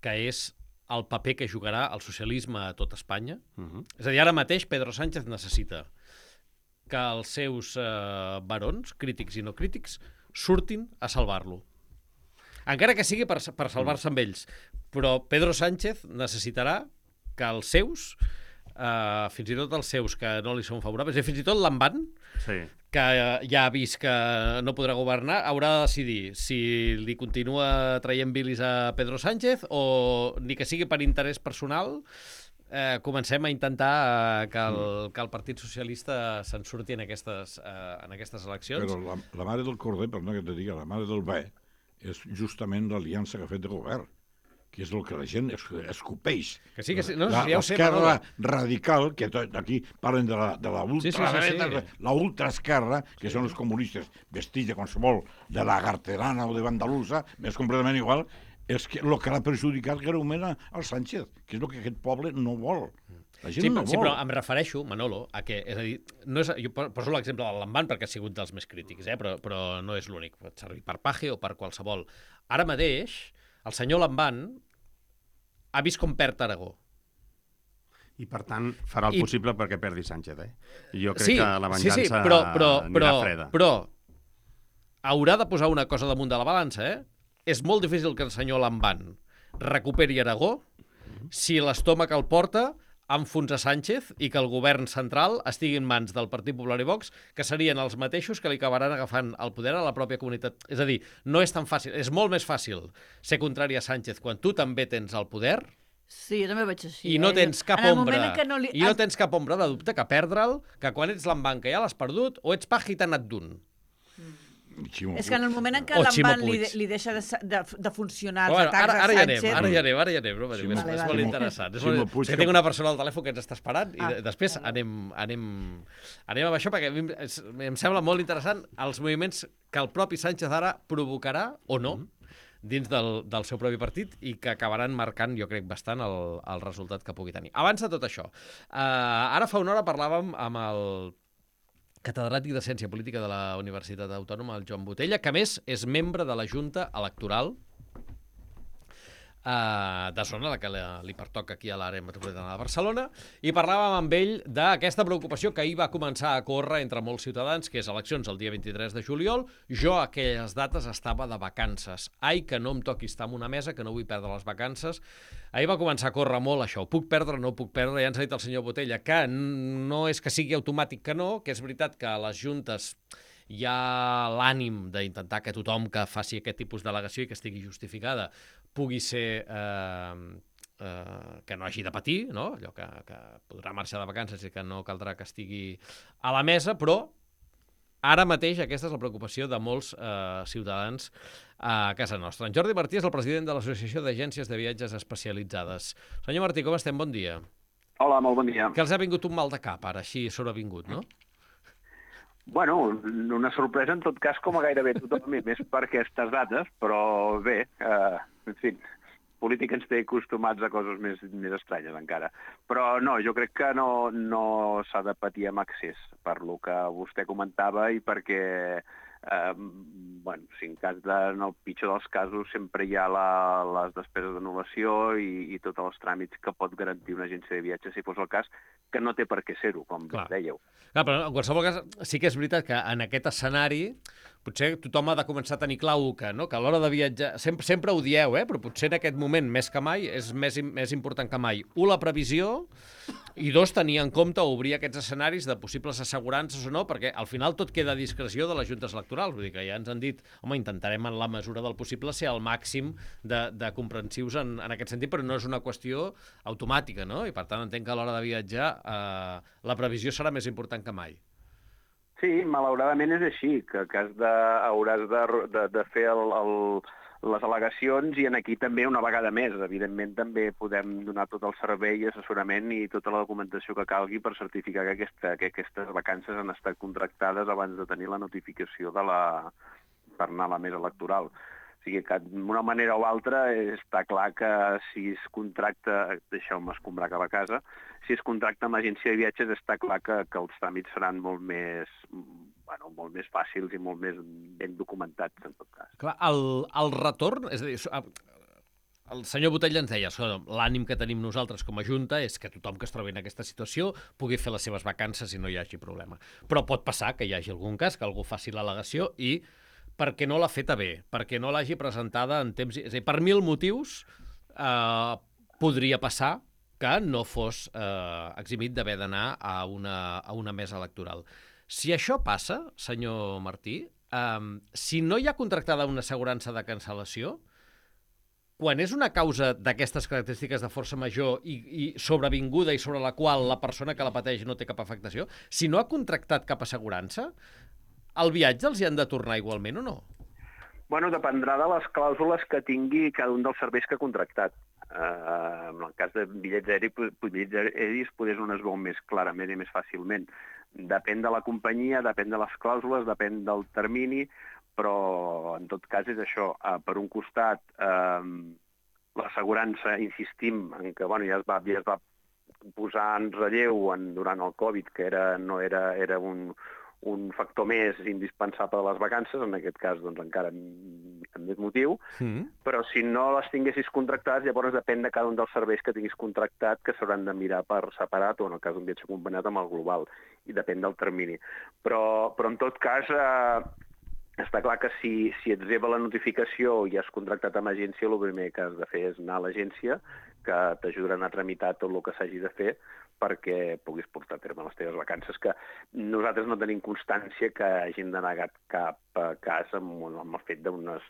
que és el paper que jugarà el socialisme a tot Espanya. És a dir, ara mateix Pedro Sánchez necessita que els seus barons, crítics i no crítics, surtin a salvar-lo. Encara que sigui per salvar-se amb ells. Però Pedro Sánchez necessitarà que els seus, fins i tot els seus que no li són favorables, i fins i tot l'Amban, que ja ha vist que no podrà governar, haurà de decidir si li continua traient bilis a Pedro Sánchez o, ni que sigui per interès personal, comencem a intentar que el Partit Socialista se'n surti en aquestes eleccions. Però la mare del corder, perdona que te digui, la mare del bé, és justament l'aliança que ha fet de govern, que és el que la gent escopeix. Que sí. No, ja ho sé, l'esquerra radical, que aquí parlen de la ultradreta, la ultraesquerra, que són els comunistes vestits de qualsevol de la garterana o de bandalusa, és completament igual, és que el que l'ha perjudicat greument al Sánchez, que és el que aquest poble no vol. La gent no vol. Sí, però em refereixo, Manolo, a que, és a dir, jo poso l'exemple de l'Amban perquè ha sigut dels més crítics, però no és l'únic. Pot servir per Paje o per qualsevol. Ara mateix, el senyor Lamban ha vist com perd Aragó. I, per tant, farà el possible perquè perdi Sánchez, Jo crec que la venjança anirà freda. Però haurà de posar una cosa damunt de la balança, És molt difícil que el senyor Lamban recuperi Aragó si l'estómac el porta a enfonsar Sánchez i que el govern central estigui en mans del Partit Popular i Vox, que serien els mateixos que li acabaran agafant el poder a la pròpia comunitat. És a dir, no és tan fàcil. És molt més fàcil ser contrari a Sánchez quan tu també tens el poder. Sí, jo també veig així. I no tens cap ombra. I no tens cap ombra de dubte que perdre'l, que quan ets l'Amban que ja l'has perdut, o ets Paje i t'ha anat d'un. És que en el moment en què l'Amban li deixa de funcionar els atacs a Sánchez... Ara ja anem, no? És molt interessant. És que tinc una persona al telèfon que ens està esperant i després anem amb això perquè em sembla molt interessant els moviments que el propi Sánchez ara provocarà o no dins del seu propi partit i que acabaran marcant, jo crec, bastant el resultat que pugui tenir. Abans de tot això, ara fa una hora parlàvem amb el catedràtic de Ciència Política de la Universitat Autònoma, el Joan Botella, que a més és membre de la Junta Electoral de zona, la que li pertoca aquí a l'àrea metropolitana de Barcelona, i parlàvem amb ell d'aquesta preocupació que ahir va començar a córrer entre molts ciutadans, que és eleccions el dia 23 de juliol. Jo a aquelles dates estava de vacances. Ai, que no em toqui estar en una mesa, que no vull perdre les vacances. Ahir va començar a córrer molt això. Ho puc perdre, no ho puc perdre? Ja ens ha dit el senyor Botella que no és que sigui automàtic que no, que és veritat que a les juntes hi ha l'ànim d'intentar que tothom que faci aquest tipus d'al·legació i que estigui justificada pugui ser que no hagi de patir, no? Allò que podrà marxar de vacances i que no caldrà que estigui a la mesa, però ara mateix aquesta és la preocupació de molts ciutadans a casa nostra. En Jordi Martí és el president de l'Associació d'Agències de Viatges Especialitzades. Senyor Martí, com estem? Bon dia. Hola, molt bon dia. Que els ha vingut un mal de cap, ara, així sobrevingut, no? Bueno, una sorpresa en tot cas com a gairebé tothom, i més per aquestes dates, però bé, en fi, política ens té acostumats a coses més estranyes encara. Però no, jo crec que no s'ha de patir amb excés per lo que vostè comentava i perquè, si en cas en el pitjor dels casos sempre hi ha les despeses d'anul·lació i tots els tràmits que pot garantir una agència de viatge, si fos el cas, que no té per què ser-ho, com dèieu. Clar, però en qualsevol cas sí que és veritat que en aquest escenari potser tothom ha de començar a tenir clau que a l'hora de viatjar, sempre ho dieu, però potser en aquest moment més que mai és més important que mai. La previsió, i dos, tenir en compte obrir aquests escenaris de possibles assegurances o no, perquè al final tot queda a discreció de les juntes electorals. Vull dir que ja ens han dit, home, intentarem en la mesura del possible ser al màxim de comprensius en aquest sentit, però no és una qüestió automàtica, no? I per tant entenc que a l'hora de viatjar la previsió serà més important que mai. Sí, malauradament és així, que hauràs de fer les al·legacions i en aquí també una vegada més. Evidentment també podem donar tot el servei i assessorament i tota la documentació que calgui per certificar que aquestes vacances han estat contractades abans de tenir la notificació per anar a la mesa electoral. O sigui que d'una manera o altra està clar que si es contracta, deixeu-me escombrar cap a casa, si es contracta amb agència de viatges està clar que els tràmits seran molt més fàcils i molt més ben documentats, en tot cas. Clar, el retorn, és a dir, el senyor Botella ens deia, l'ànim que tenim nosaltres com a Junta és que tothom que es trobi en aquesta situació pugui fer les seves vacances i no hi hagi problema. Però pot passar que hi hagi algun cas, que algú faci l'al·legació i perquè no l'ha feta bé, perquè no l'hagi presentada en temps... És a dir, per 1000 motius podria passar que no fos eximit d'haver d'anar a una mesa electoral. Si això passa, senyor Martí, si no hi ha contractada una assegurança de cancel·lació, quan és una causa d'aquestes característiques de força major i sobrevinguda i sobre la qual la persona que la pateix no té cap afectació, si no ha contractat cap assegurança, el viatge els hi han de tornar igualment o no? Bueno, dependrà de les clàusules que tingui cada un dels serveis que ha contractat. En el cas de bitllets aeris, potser on es veu més clarament i més fàcilment. Depèn de la companyia, depèn de les clàusules, depèn del termini, però en tot cas és això. Per un costat, l'assegurança, insistim, en que ja es va posar en relleu durant el Covid, que no era un factor més indispensable de les vacances, en aquest cas doncs, encara amb més motiu, però si no les tinguessis contractades, llavors depèn de cada un dels serveis que tinguis contractat, que s'hauran de mirar per separat, o en el cas d'un viatge acompanyat amb el global, i depèn del termini. Però en tot cas, està clar que si et reba la notificació i has contractat amb agència, el primer que has de fer és anar a l'agència, que t'ajudaran a tramitar tot el que s'hagi de fer perquè puguis portar a terme les teves vacances, que nosaltres no tenim constància que hagin denegat cap cas amb el fet d'unes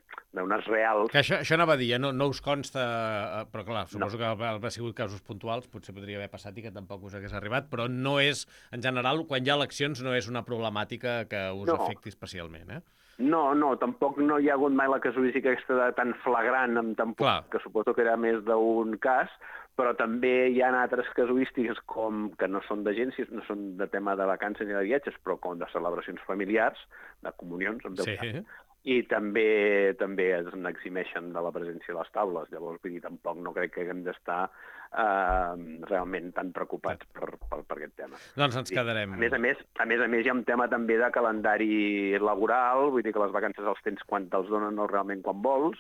reals... Que això anava a dir, no us consta, però clar, suposo que ha sigut casos puntuals, potser podria haver passat i que tampoc us hagués arribat, però no és, en general, quan hi ha eleccions, no és una problemàtica que us afecti especialment, eh? No, tampoc no hi ha hagut mai la casuística aquesta tan flagrant amb tan poc, que suposo que era més d'un cas, però també hi ha altres casuístiques que no són d'agències, no són de tema de vacances ni de viatges, però com de celebracions familiars, de comunions, en teu cas, i també es n'eximeixen de la presència a les taules. Llavors, vull dir, tampoc no crec que haguem d'estar realment tan preocupats per aquest tema. Doncs ens quedarem... A més a més, hi ha un tema també de calendari laboral, vull dir que les vacances els tens quan te'ls donen, no realment quan vols,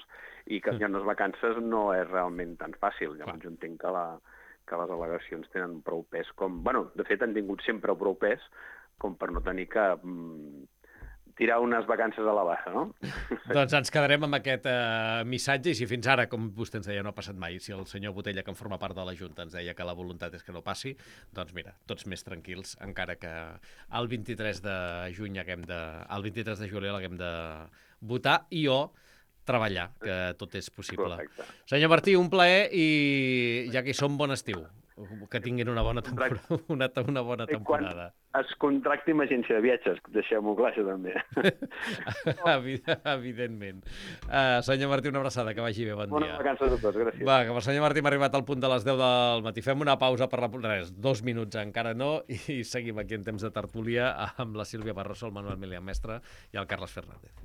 i que hi ha unes vacances no és realment tan fàcil. Llavors jo entenc que les al·legacions tenen prou pes com... Bueno, de fet, han tingut sempre prou pes com per no tenir que tirar unes vacances a la baixa, no? Doncs ens quedarem amb aquest missatge, i si fins ara, com vostè ens deia, no ha passat mai, si el senyor Botella, que en forma part de la Junta, ens deia que la voluntat és que no passi, doncs mira, tots més tranquils, encara que el 23 de juliol haguem de votar i treballar, que tot és possible. Correcte. Senyor Martí, un plaer, i ja que hi som, bon estiu. Que tinguin una bona temporada. Una bona temporada. Quan es contracti amb agència de viatges, deixeu-m'ho clar, això també. Evidentment. Senyor Martí, una abraçada, que vagi bé, bon dia. Bones vacances a tots, gràcies. Va, que el senyor Martí m'ha arribat al punt de les 10 del matí. Fem una pausa per 2 minuts, encara no, i seguim aquí en temps de tertúlia amb la Sílvia Barroso, el Manuel Milian Mestre i el Carles Fernández.